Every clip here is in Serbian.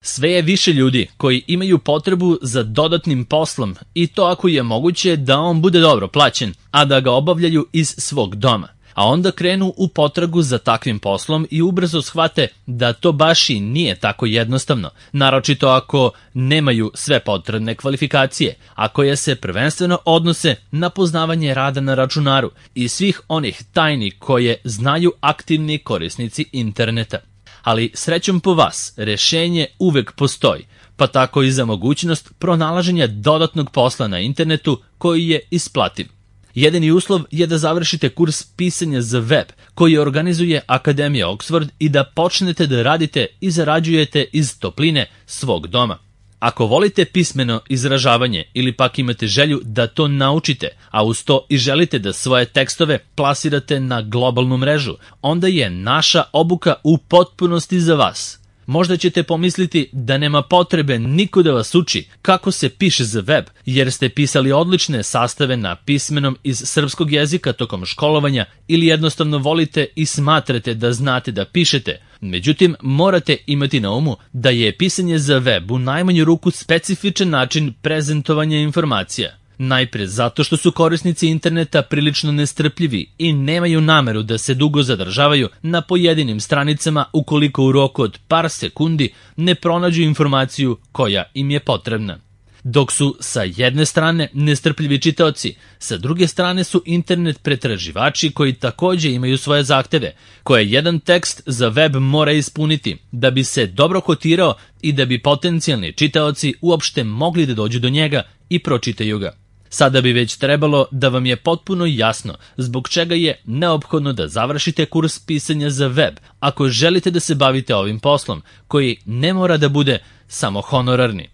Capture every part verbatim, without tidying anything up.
Sve je više ljudi koji imaju potrebu za dodatnim poslom i to ako je moguće da on bude dobro plaćen, a da ga obavljaju iz svog doma. A onda krenu u potragu za takvim poslom i ubrzo shvate da to baš i nije tako jednostavno, naročito ako nemaju sve potrebne kvalifikacije, a koje se prvenstveno odnose na poznavanje rada na računaru i svih onih tajni koje znaju aktivni korisnici interneta. Ali srećom po vas, rešenje uvek postoji, pa tako i za mogućnost pronalaženja dodatnog posla na internetu koji je isplativ. Jedini uslov je da završite kurs pisanja za web koji organizuje Akademija Oxford i da počnete da radite i zarađujete iz topline svog doma. Ako volite pismeno izražavanje ili pak imate želju da to naučite, a uz to i želite da svoje tekstove plasirate na globalnu mrežu, onda je naša obuka u potpunosti za vas. Možda ćete pomisliti da nema potrebe niko da vas uči kako se piše za web, jer ste pisali odlične sastave na pismenom iz srpskog jezika tokom školovanja ili jednostavno volite i smatrate da znate da pišete. Međutim, morate imati na umu da je pisanje za web u najmanju ruku specifičan način prezentovanja informacija. Najpre zato što su korisnici interneta prilično nestrpljivi i nemaju nameru da se dugo zadržavaju na pojedinim stranicama ukoliko u roku od par sekundi ne pronađu informaciju koja im je potrebna. Dok su sa jedne strane nestrpljivi čitaoci, sa druge strane su internet pretraživači koji takođe imaju svoje zahteve, koje jedan tekst za web mora ispuniti da bi se dobro kotirao i da bi potencijalni čitaoci uopšte mogli da dođu do njega i pročitaju ga. Sada bi već trebalo da vam je potpuno jasno zbog čega je neophodno da završite kurs pisanja za web ako želite da se bavite ovim poslom, koji ne mora da bude samo honorarni.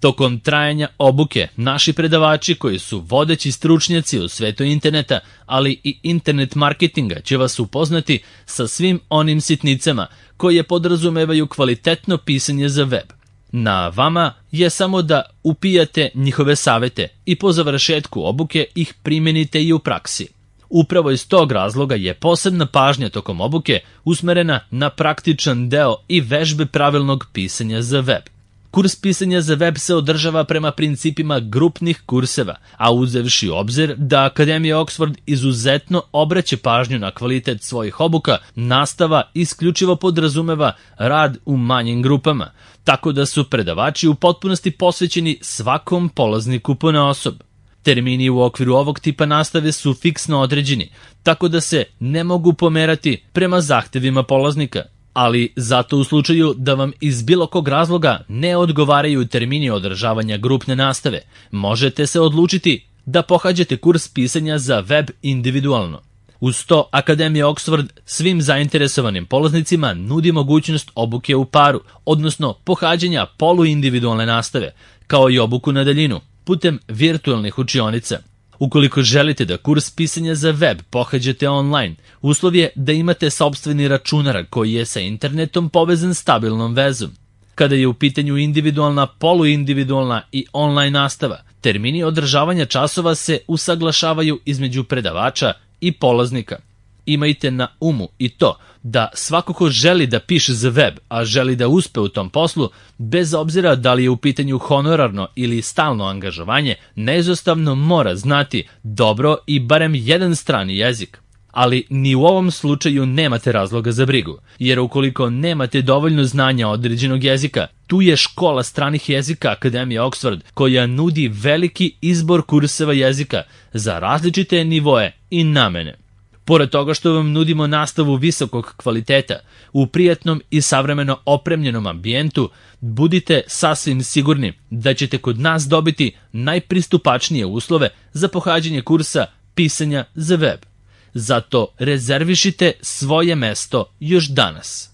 Tokom trajanja obuke, naši predavači koji su vodeći stručnjaci u svetu interneta, ali i internet marketinga će vas upoznati sa svim onim sitnicama koje podrazumevaju kvalitetno pisanje za web. Na vama je samo da upijate njihove savete i po završetku obuke ih primenite i u praksi. Upravo iz tog razloga je posebna pažnja tokom obuke usmerena na praktičan deo i vežbe pravilnog pisanja za web. Kurs pisanja za web se održava prema principima grupnih kurseva, a uzevši u obzir da Akademija Oxford izuzetno obraća pažnju na kvalitet svojih obuka, nastava isključivo podrazumeva rad u manjim grupama, tako da su predavači u potpunosti posvećeni svakom polazniku ponaosob. Termini u okviru ovog tipa nastave su fiksno određeni, tako da se ne mogu pomerati prema zahtevima polaznika. Ali zato u slučaju da vam iz bilo kog razloga ne odgovaraju termini održavanja grupne nastave, možete se odlučiti da pohađate kurs pisanja za web individualno. Uz to, Akademija Oxford svim zainteresovanim polaznicima nudi mogućnost obuke u paru, odnosno pohađanja poluindividualne nastave, kao i obuku na daljinu, putem virtualnih učionica. Ukoliko želite da kurs pisanja za web pohađate online, uslov je da imate sopstveni računar koji je sa internetom povezan stabilnom vezom. Kada je u pitanju individualna, poluindividualna i online nastava, termini održavanja časova se usaglašavaju između predavača i polaznika. Imajte na umu i to da svako ko želi da piše za web, a želi da uspe u tom poslu, bez obzira da li je u pitanju honorarno ili stalno angažovanje, neizostavno mora znati dobro i barem jedan strani jezik. Ali ni u ovom slučaju nemate razloga za brigu, jer ukoliko nemate dovoljno znanja određenog jezika, tu je škola stranih jezika Akademija Oxford koja nudi veliki izbor kurseva jezika za različite nivoe i namene. Pored toga što vam nudimo nastavu visokog kvaliteta, u prijatnom i savremeno opremljenom ambijentu, budite sasvim sigurni da ćete kod nas dobiti najpristupačnije uslove za pohađanje kursa pisanja za web. Zato rezervišite svoje mesto još danas.